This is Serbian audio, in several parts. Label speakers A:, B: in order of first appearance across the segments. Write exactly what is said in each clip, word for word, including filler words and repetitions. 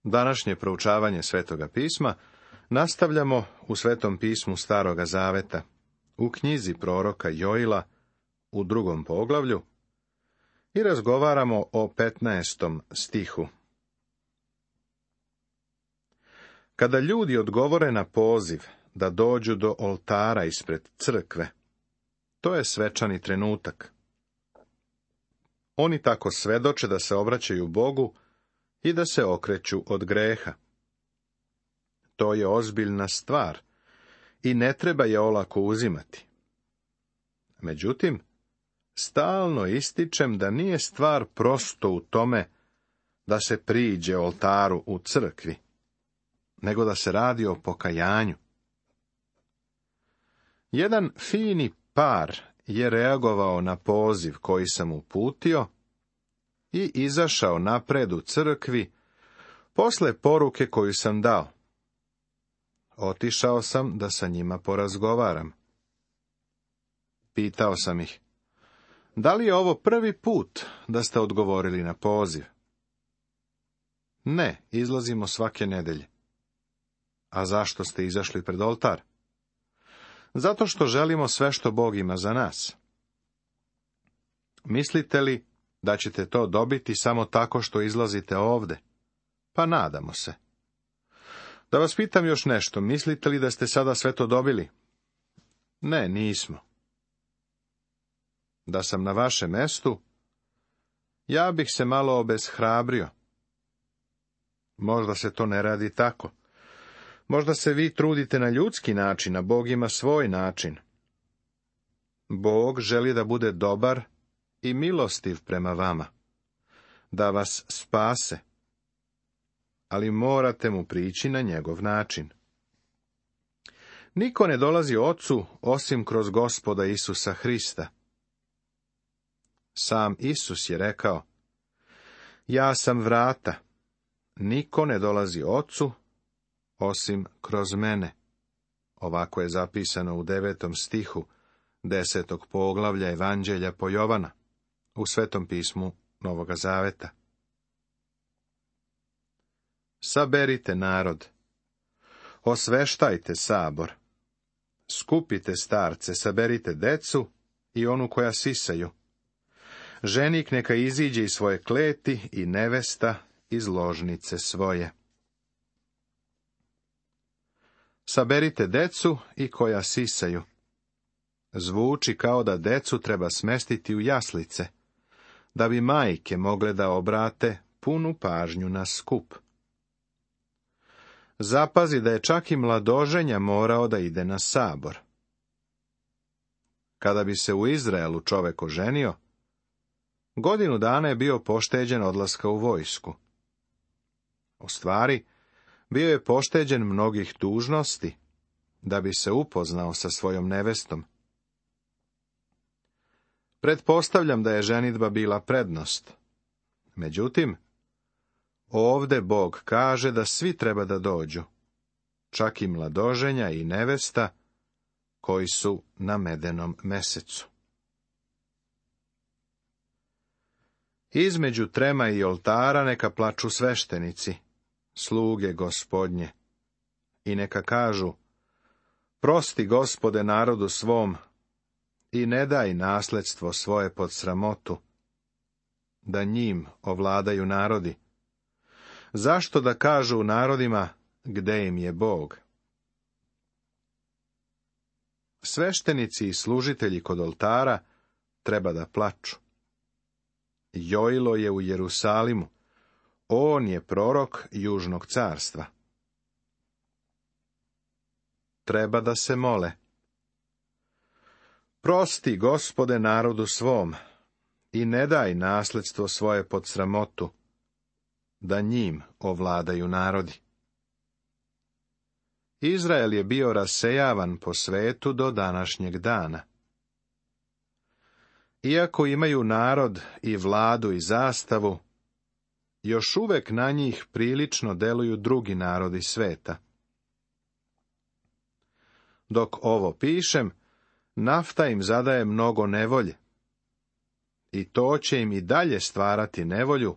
A: Današnje proučavanje Svetoga pisma nastavljamo u Svetom pismu Staroga zaveta, u knjizi proroka Joila, u drugom poglavlju, i razgovaramo o petnaestom stihu. Kada ljudi odgovore na poziv da dođu do oltara ispred crkve, to je svečani trenutak. Oni tako svedoče da se obraćaju Bogu i da se okreću od greha. To je ozbiljna stvar i ne treba je olako uzimati. Međutim, stalno ističem da nije stvar prosto u tome da se priđe oltaru u crkvi, nego da se radi o pokajanju. Jedan fini par je reagovao na poziv koji sam uputio i izašao napred u crkvi posle poruke koju sam dao. Otišao sam da sa njima porazgovaram. Pitao sam ih, da li je ovo prvi put da ste odgovorili na poziv? Ne, izlazimo svake nedelje. A zašto ste izašli pred oltar? Zato što želimo sve što Bog ima za nas. Mislite li da ćete to dobiti samo tako što izlazite ovde? Pa nadamo se. Da vas pitam još nešto, mislite li da ste sada sve to dobili? Ne, nismo. Da sam na vašem mestu, ja bih se malo obeshrabrio. Možda se to ne radi tako. Možda se vi trudite na ljudski način, a Bog ima svoj način. Bog želi da bude dobar i milostiv prema vama, da vas spase, ali morate mu prići na njegov način. Niko ne dolazi Ocu osim kroz Gospoda Isusa Hrista. Sam Isus je rekao, ja sam vrata, niko ne dolazi Ocu osim kroz mene. Ovako je zapisano u devetom stihu desetog poglavlja Evanđelja po Jovana, u Svetom pismu Novoga zaveta. Saberite narod, osveštajte sabor, skupite starce, saberite decu i onu koja sisaju. Ženik neka iziđe iz svoje kleti i nevesta iz ložnice svoje. Saberite decu i koja sisaju. Zvuči kao da decu treba smestiti u jaslice, da bi majke mogle da obrate punu pažnju na skup. Zapazi da je čak i mladoženja morao da ide na sabor. Kada bi se u Izraelu čovek oženio, godinu dana je bio pošteđen odlaska u vojsku. U stvari, bio je pošteđen mnogih dužnosti, da bi se upoznao sa svojom nevestom. Pretpostavljam da je ženidba bila prednost. Međutim, ovde Bog kaže da svi treba da dođu, čak i mladoženja i nevesta, koji su na medenom mesecu. Između trema i oltara neka plaču sveštenici, sluge Gospodnje, i neka kažu, prosti Gospode narodu svom, i ne daj nasledstvo svoje pod sramotu, da njim ovladaju narodi. Zašto da kažu u narodima, gde im je Bog? Sveštenici i služitelji kod oltara treba da plaču. Joilo je u Jerusalimu, on je prorok južnog carstva. Treba da se mole. Prosti Gospode narodu svom i ne daj nasledstvo svoje pod sramotu, da njim ovladaju narodi. Izrael je bio rasejavan po svetu do današnjeg dana. Iako imaju narod i vladu i zastavu, još uvek na njih prilično deluju drugi narodi sveta. Dok ovo pišem, nafta im zadaje mnogo nevolje. I to će im i dalje stvarati nevolju,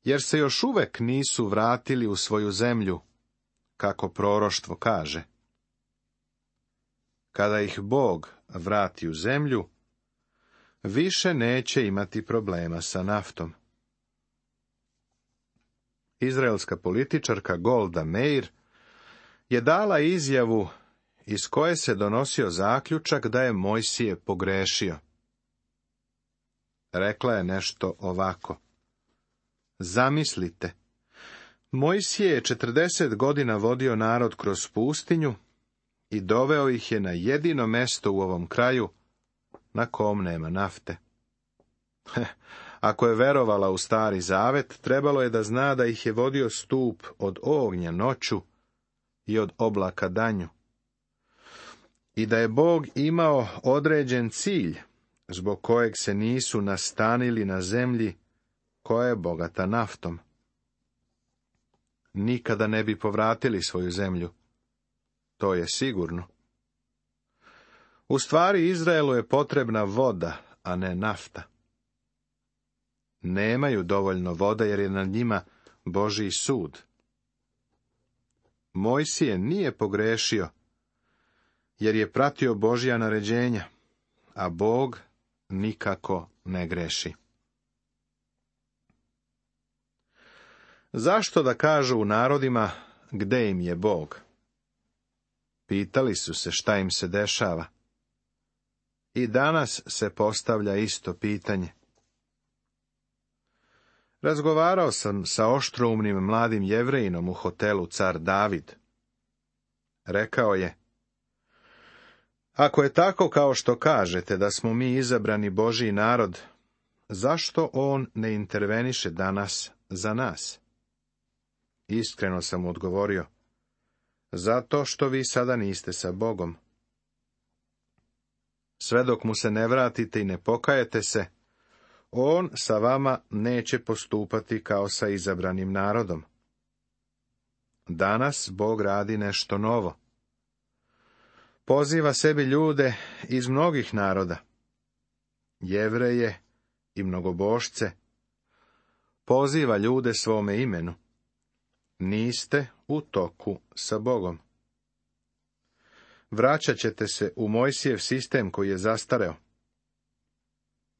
A: jer se još uvek nisu vratili u svoju zemlju, kako proroštvo kaže. Kada ih Bog vrati u zemlju, više neće imati problema sa naftom. Izraelska političarka Golda Meir je dala izjavu iz koje se donosio zaključak da je Mojsije pogrešio. Rekla je nešto ovako: zamislite, Mojsije je četrdeset godina vodio narod kroz pustinju i doveo ih je na jedino mesto u ovom kraju na kom nema nafte. Ako je verovala u Stari Zavet, trebalo je da zna da ih je vodio stup od ognja noću i od oblaka danju. I da je Bog imao određen cilj, zbog kojeg se nisu nastanili na zemlji koja je bogata naftom. Nikada ne bi povratili svoju zemlju. To je sigurno. U stvari, Izraelu je potrebna voda, a ne nafta. Nemaju dovoljno vode jer je nad njima Božji sud. Mojsije nije pogrešio, jer je pratio Božja naređenja, a Bog nikako ne greši. Zašto da kažu u narodima gde im je Bog? Pitali su se šta im se dešava. I danas se postavlja isto pitanje. Razgovarao sam sa oštroumnim mladim Jevrejinom u hotelu Car David. Rekao je: ako je tako kao što kažete da smo mi izabrani Božji narod, zašto on ne interveniše danas za nas? Iskreno sam mu odgovorio: zato što vi sada niste sa Bogom. Sve dok mu se ne vratite i ne pokajete se, on sa vama neće postupati kao sa izabranim narodom. Danas Bog radi nešto novo. Poziva sebi ljude iz mnogih naroda, Jevreje i mnogobošce. Poziva ljude svome imenu. Niste u toku sa Bogom. Vraćat ćete se u Mojsijev sistem koji je zastareo.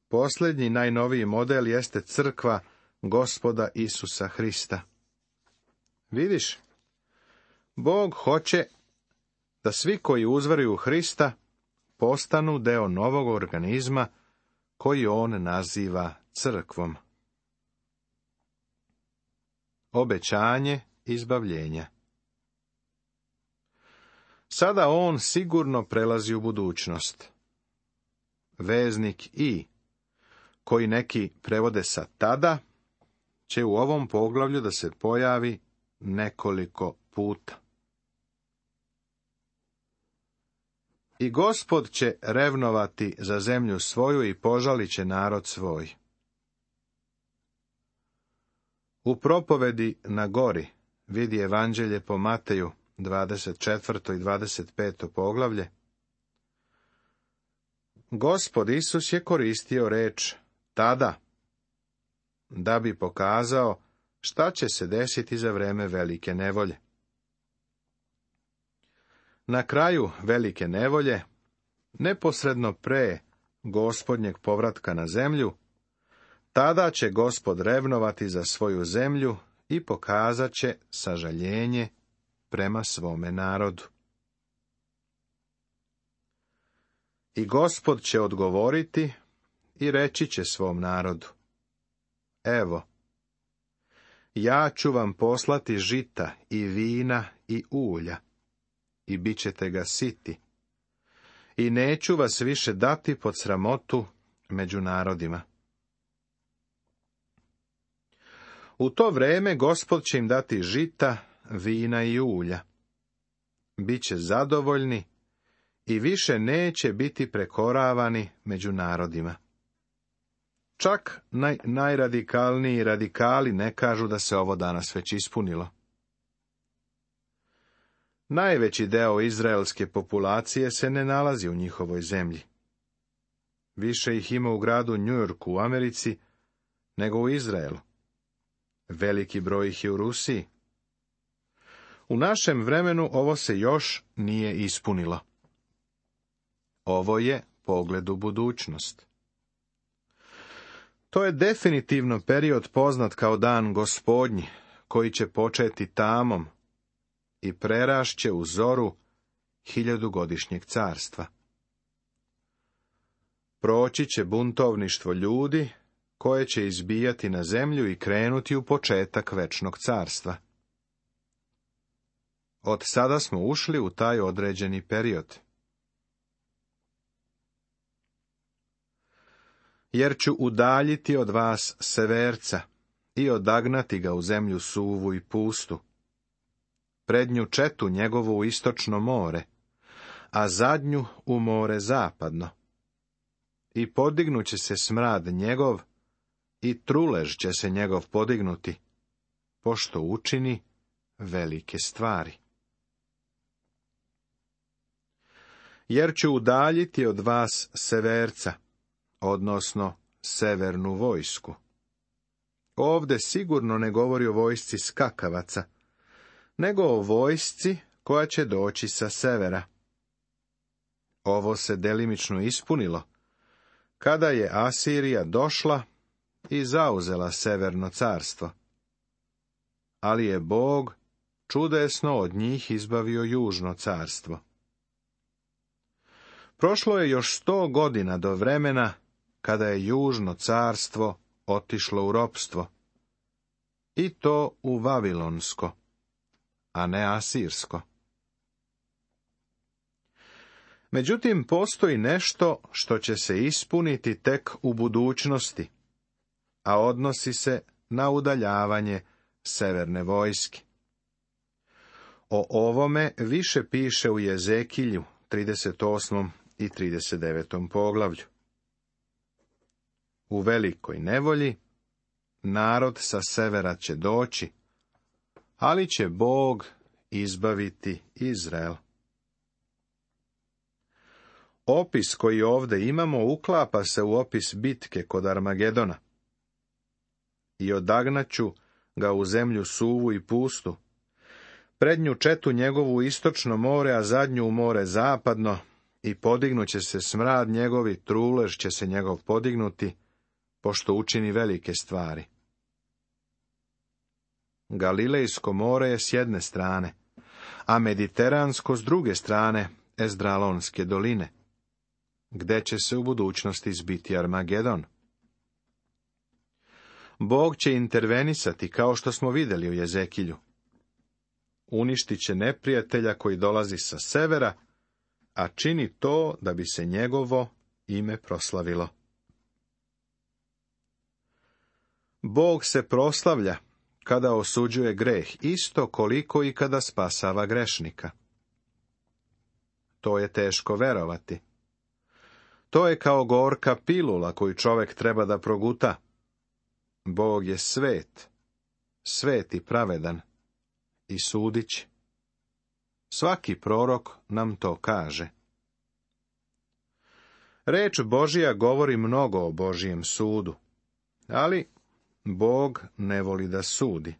A: Posljednji, najnoviji model jeste crkva Gospoda Isusa Hrista. Vidiš, Bog hoće da svi koji uzveruju u Hrista postanu deo novog organizma koji on naziva crkvom. Obećanje izbavljenja. Sada on sigurno prelazi u budućnost. Veznik i, koji neki prevode sa tada, će u ovom poglavlju da se pojavi nekoliko puta. I Gospod će revnovati za zemlju svoju i požalit će narod svoj. U propovedi na gori vidi Evanđelje po Mateju, dvadeset četvrto i dvadeset peto poglavlje. Gospod Isus je koristio reč tada, da bi pokazao šta će se desiti za vreme velike nevolje. Na kraju velike nevolje, neposredno pre Gospodnjeg povratka na zemlju, tada će Gospod revnovati za svoju zemlju i pokazat će sažaljenje prema svome narodu. I Gospod će odgovoriti i reći će svom narodu: evo, ja ću vam poslati žita i vina i ulja, i bit ćete ga siti, i neću vas više dati pod sramotu među narodima. U to vreme Gospod će im dati žita, vina i ulja. Biće zadovoljni i više neće biti prekoravani među narodima. Čak naj, najradikalniji radikali ne kažu da se ovo danas već ispunilo. Najveći deo izraelske populacije se ne nalazi u njihovoj zemlji. Više ih ima u gradu Njujorku u Americi nego u Izraelu. Veliki broj ih je u Rusiji. U našem vremenu ovo se još nije ispunilo. Ovo je pogled u budućnost. To je definitivno period poznat kao dan Gospodnji, koji će početi tamom i prerašće u zoru hiljadugodišnjeg carstva. Proći će buntovništvo ljudi, koje će izbijati na zemlju i krenuti u početak večnog carstva. Od sada smo ušli u taj određeni period. Jer ću udaljiti od vas severca i odagnati ga u zemlju suvu i pustu, prednju četu njegovu u istočno more, a zadnju u more zapadno. I podignuće se smrad njegov, i trulež će se njegov podignuti, pošto učini velike stvari. Jer ću udaljiti od vas severca, odnosno severnu vojsku. Ovde sigurno ne govori o vojsci skakavaca, nego o vojsci koja će doći sa severa. Ovo se delimično ispunilo, kada je Asirija došla i zauzela severno carstvo. Ali je Bog čudesno od njih izbavio južno carstvo. Prošlo je još sto godina do vremena kada je južno carstvo otišlo u ropstvo, i to u Vavilonsko, a ne Asirsko. Međutim, postoji nešto što će se ispuniti tek u budućnosti, a odnosi se na udaljavanje severne vojske. O ovome više piše u Jezekilju, trideset osmom i trideset devetom poglavlju. U velikoj nevolji narod sa severa će doći, ali će Bog izbaviti Izrael. Opis koji ovdje imamo uklapa se u opis bitke kod Armagedona. I odagnaću ga u zemlju suvu i pustu, prednju četu njegovu u istočno more, a zadnju u more zapadno, i podignuće se smrad njegovi, trulež će se njegov podignuti, pošto učini velike stvari. Galilejsko more je s jedne strane, a Mediteransko s druge strane Ezdralonske doline, gde će se u budućnosti zbiti Armagedon. Bog će intervenisati, kao što smo vidjeli u Jezekilju. Uništit će neprijatelja koji dolazi sa severa, a čini to da bi se njegovo ime proslavilo. Bog se proslavlja kada osuđuje greh, isto koliko i kada spasava grešnika. To je teško verovati. To je kao gorka pilula koju čovjek treba da proguta. Bog je svet, svet i pravedan, i sudit će. Svaki prorok nam to kaže. Reč Božija govori mnogo o Božijem sudu, ali Bog ne voli da sudi.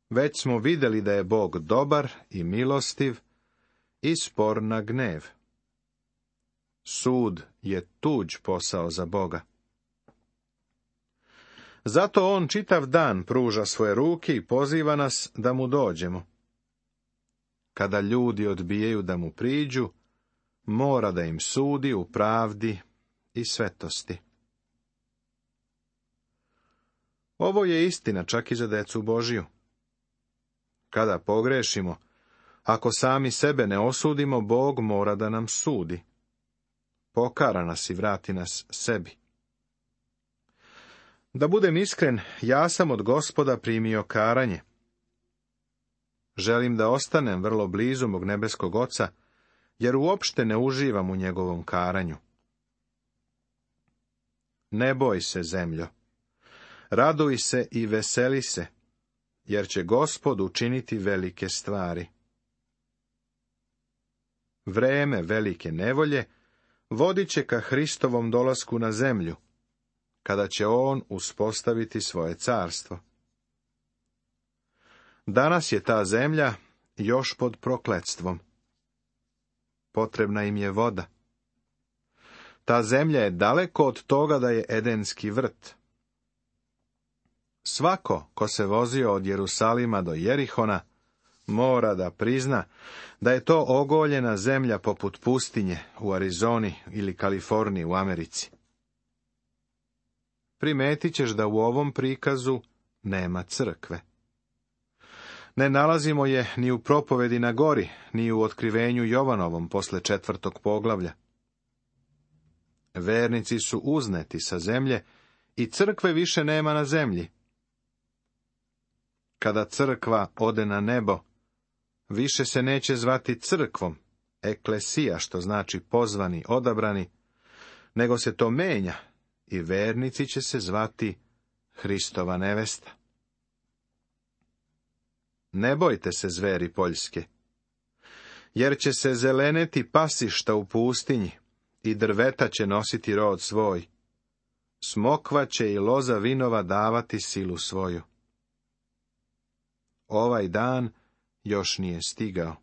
A: Već smo vidjeli da je Bog dobar i milostiv i spor na gnev. Sud je tuđ posao za Boga. Zato on čitav dan pruža svoje ruke i poziva nas da mu dođemo. Kada ljudi odbijaju da mu priđu, mora da im sudi u pravdi i svetosti. Ovo je istina čak i za decu Božiju. Kada pogrešimo, ako sami sebe ne osudimo, Bog mora da nam sudi. Pokara nas i vrati nas sebi. Da budem iskren, ja sam od Gospoda primio karanje. Želim da ostanem vrlo blizu mog nebeskog Oca, jer uopšte ne uživam u njegovom karanju. Ne boj se, zemljo. Raduj se i veseli se, jer će Gospod učiniti velike stvari. Vreme velike nevolje vodit će ka Hristovom dolasku na zemlju, kada će on uspostaviti svoje carstvo. Danas je ta zemlja još pod prokletstvom. Potrebna im je voda. Ta zemlja je daleko od toga da je edenski vrt. Svako ko se vozio od Jerusalima do Jerihona mora da prizna da je to ogoljena zemlja poput pustinje u Arizoni ili Kaliforniji u Americi. Primetit ćeš da u ovom prikazu nema crkve. Ne nalazimo je ni u propovedi na gori, ni u otkrivenju Jovanovom posle četvrtog poglavlja. Vernici su uzneti sa zemlje i crkve više nema na zemlji. Kada crkva ode na nebo, više se neće zvati crkvom, eklesija, što znači pozvani, odabrani, nego se to menja i vernici će se zvati Hristova nevesta. Ne bojte se, zveri poljske, jer će se zeleneti pasišta u pustinji i drveta će nositi rod svoj. Smokva će i loza vinova davati silu svoju. Ovaj dan još nije stigao.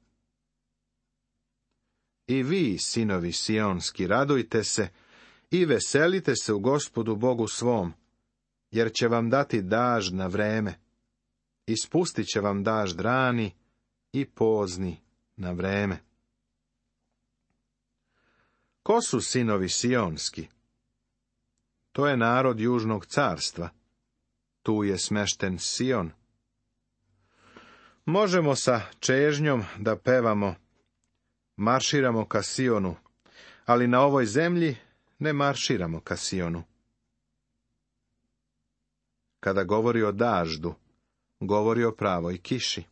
A: I vi, sinovi sionski, radujte se i veselite se u Gospodu Bogu svom, jer će vam dati dažd na vreme. Ispustit će vam dažd rani i pozni na vreme. Ko su sinovi sionski? To je narod južnog carstva. Tu je smešten Sion. Možemo sa čežnjom da pevamo, marširamo ka Sionu, ali na ovoj zemlji ne marširamo ka Sionu. Kada govori o daždu, govori o pravoj kiši.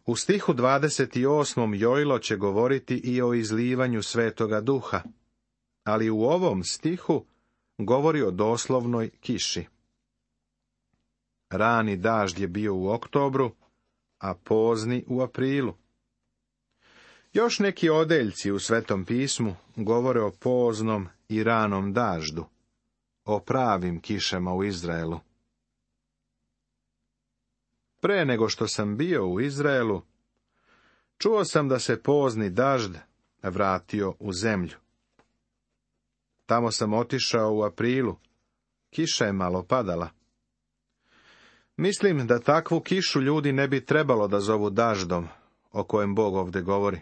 A: U stihu dvadeset osmom Jojlo će govoriti i o izlivanju Svetoga Duha, ali u ovom stihu govori o doslovnoj kiši. Rani dažd je bio u oktobru, a pozni u aprilu. Još neki odeljci u Svetom pismu govore o poznom i ranom daždu, o pravim kišama u Izraelu. Pre nego što sam bio u Izraelu, čuo sam da se pozni dažd vratio u zemlju. Tamo sam otišao u aprilu, kiša je malo padala. Mislim da takvu kišu ljudi ne bi trebalo da zovu daždom, o kojem Bog ovde govori.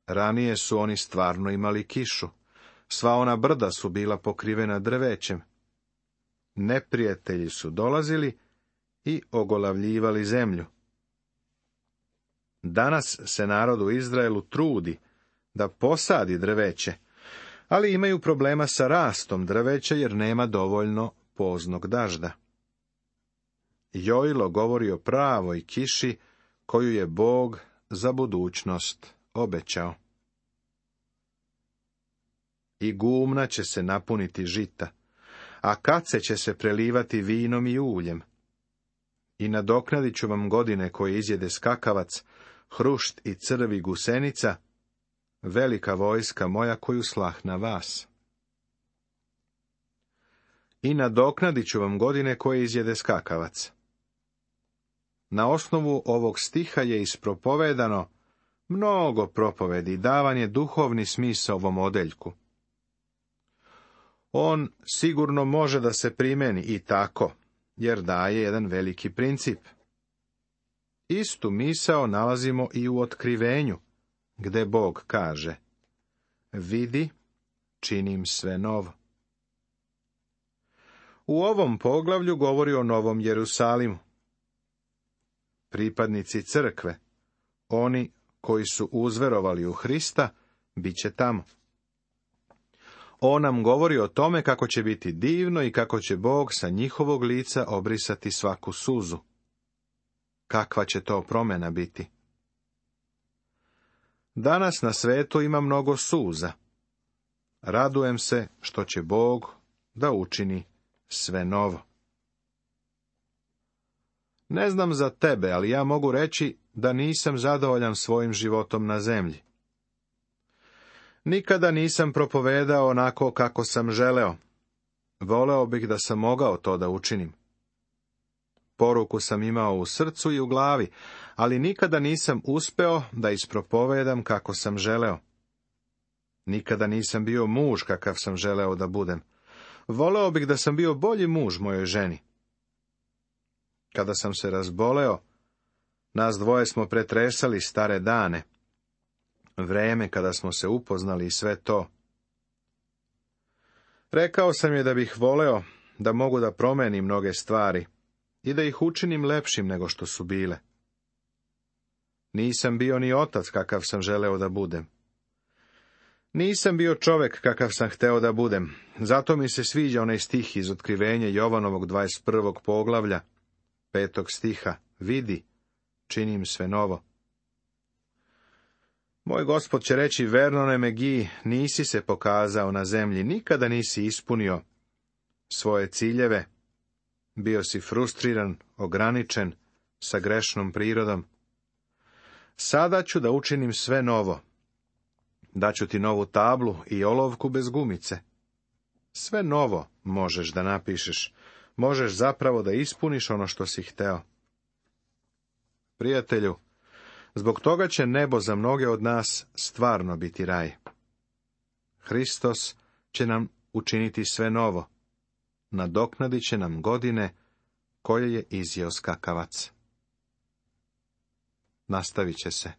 A: Ranije su oni stvarno imali kišu, sva ona brda su bila pokrivena drvećem. Neprijatelji su dolazili i ogolavljivali zemlju. Danas se narod u Izraelu trudi da posadi drveće, ali imaju problema sa rastom drveća jer nema dovoljno poznog dažda. Jojlo govori o pravoj kiši koju je Bog za budućnost obećao. I gumna će se napuniti žita, a kace će se prelivati vinom i uljem. I nadoknadit ću vam godine koje izjede skakavac, hrušt i crvi gusenica, velika vojska moja koju slah na vas. I nadoknadit ću vam godine koje izjede skakavac. Na osnovu ovog stiha je ispropovedano mnogo propovedi, davan je duhovni smisao ovom odeljku. On sigurno može da se primeni i tako, jer daje jedan veliki princip. Istu misao nalazimo i u otkrivenju, gde Bog kaže: vidi, činim sve novo. U ovom poglavlju govori o Novom Jerusalimu. Pripadnici crkve, oni koji su uzverovali u Hrista, bit će tamo. On nam govori o tome kako će biti divno i kako će Bog sa njihovog lica obrisati svaku suzu. Kakva će to promjena biti? Danas na svetu ima mnogo suza. Radujem se što će Bog da učini sve novo. Ne znam za tebe, ali ja mogu reći da nisam zadovoljan svojim životom na zemlji. Nikada nisam propovedao onako kako sam želeo. Voleo bih da sam mogao to da učinim. poruku sam imao u srcu i u glavi, ali nikada nisam uspeo da ispropovedam kako sam želeo. Nikada nisam bio muž kakav sam želeo da budem. Voleo bih da sam bio bolji muž mojoj ženi. Kada sam se razboleo, nas dvoje smo pretresali stare dane, vreme kada smo se upoznali i sve to. Rekao sam je da bih voleo da mogu da promenim mnoge stvari i da ih učinim lepšim nego što su bile. Nisam bio ni otac kakav sam želeo da budem. Nisam bio čovek kakav sam hteo da budem, zato mi se sviđa onaj stih iz Otkrivenja Jovanovog dvadeset prvog poglavlja, petog stiha, vidi, činim sve novo. Moj Gospod će reći, Vernone Megi, nisi se pokazao na zemlji, nikada nisi ispunio svoje ciljeve, bio si frustriran, ograničen, sa grešnom prirodom. Sada ću da učinim sve novo. Daću ti novu tablu i olovku bez gumice. Sve novo možeš da napišeš, možeš zapravo da ispuniš ono što si hteo. Prijatelju, zbog toga će nebo za mnoge od nas stvarno biti raj. Hristos će nam učiniti sve novo. Nadoknadit će nam godine koje je izjeo skakavac. Nastavit će se.